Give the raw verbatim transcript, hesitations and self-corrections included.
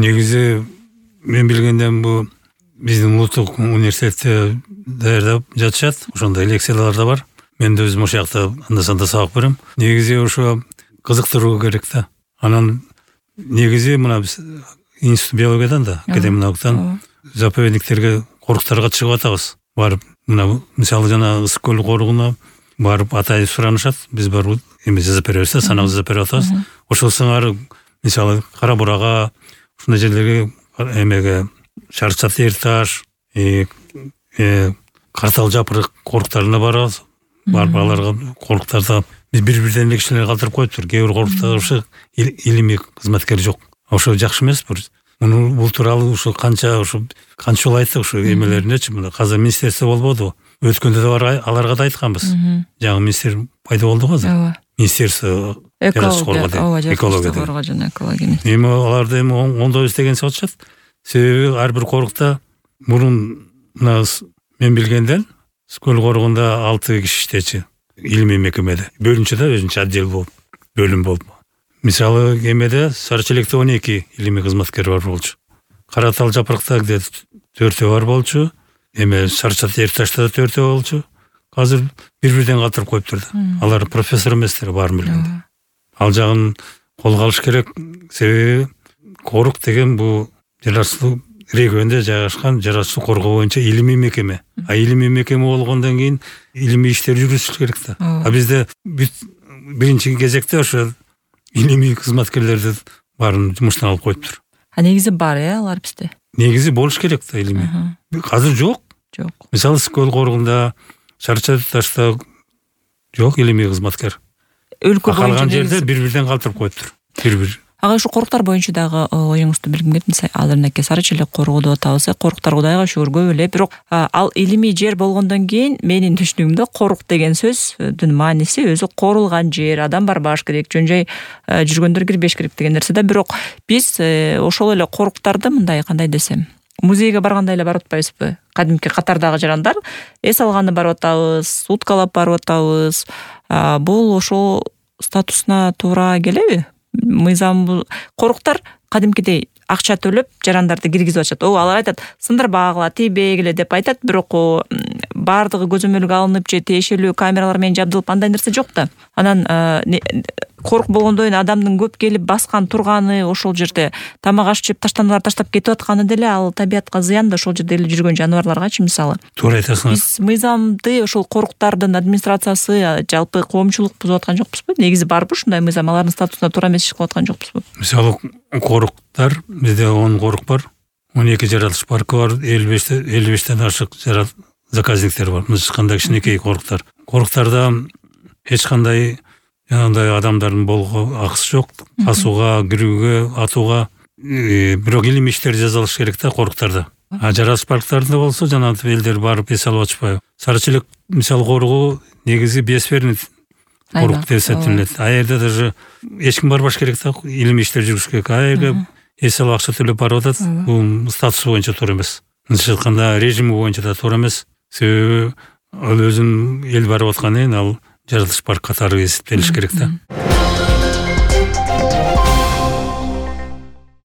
Негизи мен билгенден бул биздин улуттук университетте даярдап жатышат. Ошондой лекциялар да бар. Мен да өзүм ошол жакта анда-санда сабак берем. Негизи ошо кызыктыруу керек да. Анан негизи мына биз институт биологиядан да, академия наукадан заповедниктерге, коруктарга чыгып атабыз. Барып мына мисалы жана Ысык көл корugуна барып атайын суранышат. Биз барып эме жазып беребиз да, санабызды жазып берип атабыз. Ошол сыңары мисалы Кара Бурага, ушундай жерлерге, эмеге Шарчат Эр таш, э Картал Жапырык коруктарына барабыз. Барып аларга коруктарда биз бири-бирден эле кишилер калтырып коюптур. Кээ бир коруктар ошо илимий кызматкер жок. Ошо жакшы эмес бир. Муну бул тууралуу ушу канча ушу канча жолу айттык ушу эмелериндечи. Мына азыр министерство болбоду. Өткөндө да бар аларга да айтканбыз. Жаңы министр пайда болду го азыр. Министерство экология жана экология. Эми аларды эми оңдойбуз деген сочат. Себеби ар бир корукта мурун мына мен билгенден Скөл корugунда алты киши иштечи. Илимий мекемеде. Бөлүнчөдө өзүнчө отдел болуп, бөлүм болуп. Мисалы эмеде Сары Челекте он эки илимий кызматкер бар болчу. Каратал Жапырыкта где төртөө бар болчу. Эме Шарчат Эр ташта да төртөө болчу. Азыр бири-бирден калтырып коюптур да. Алар профессор эместер, баарын билгенде. Ал жагын колго алыш керек. Себеби корук деген бул жер асты регионде жайгашкан жер асты коргоо боюнча илимий мекеме. А илимий мекеме болгондон кийин илимий иштер жүргүзүлүш керек да. А бизде биринчи кезекте ошо илимий кызматкерлерди баарын жумуштан алып коюптур. А негизи бар э алар бизде. Негизи болуш керек да илимий. Азыр жок. Жок. Мисалы Скөл корugунда, Шарчат ташта жок илимий кызматкер. Өлкө боюнча калган жерде бири-бирден калтырып коюптур. Бир-бир. Ага ушу коруктар боюнча дагы оюңузду билгим келет. Азырынакей Сары Челек корugу деп атабыз. Коруктар Кудайга шүгүр көп эле, бирок ал илимий жер болгондон кийин менин түшүнүгүмдө корук деген сөздүн мааниси өзү корулган жер, адам барбаш керек, жөн-жай жүргөндөр кирбеш керек деген нерсе да. Бирок биз ошол эле коруктарды мындай кандай десем, музейге барганда эле барып атпайбызбы? Кадимки катардагы жарандар эс алганы барып атабыз, уткалап барып атабыз. Бул ошол статусуна туура келеби? Мыйзам коруктар кадимкидей акча төлөп жарандарды киргизип атышат. О, алар айтат, сындырбагыла, тийбегиле деп айтат, бирок баардыгы көзөмөлгө алынып же тиешелүү камералар менен жабдылып андай нерсе жок да. Анан корук болгондон кийин адамдын көп келип баскан турганы, ошол жерде тамак аш жеп таштандылар таштап кетип атканы деле ал табиятка зыян да, ошол жерде эле жүргөн жаныбарларгачы мисалы. Туура айтасың. Биз мыйзамды ошол коруктардын администрациясы жалпы коомчулук бузуп аткан жокпузбу? Негизи барбы ушундай мыйзам? Алардын статусуна туура эмес иш кылып аткан жокпузбу? Мисалы коруктар бизде он корук бар. он эки жаратылыш паркы бар, элүү бештен ашык заказниктер бар. Мына кандай кичинекей коруктар. Коруктарда эч кандай жанагындай адамдардын болгого акысы жок. Асууга, кирүүгө, атууга, бирок илимий иштер жазалыш керек да коруктарда. А жаратылыш парктарында болсо жанагындай элдер барып эс алып атышпайбы. Сары Челек мисалы коругу негизи биосферный корук деп эсептелет. А жерде даже эч ким барбаш керек да, илимий иштер жүргүзүш керек. А жерге эс алып акча төлөп барып атат. Бул статусу боюнча туура эмес. Мындайча айтканда режими боюнча да туура эмес. Себеби ал өзүнүн эл барып аткан кийин ал жаратылыш парк катары эсептелиш керек да.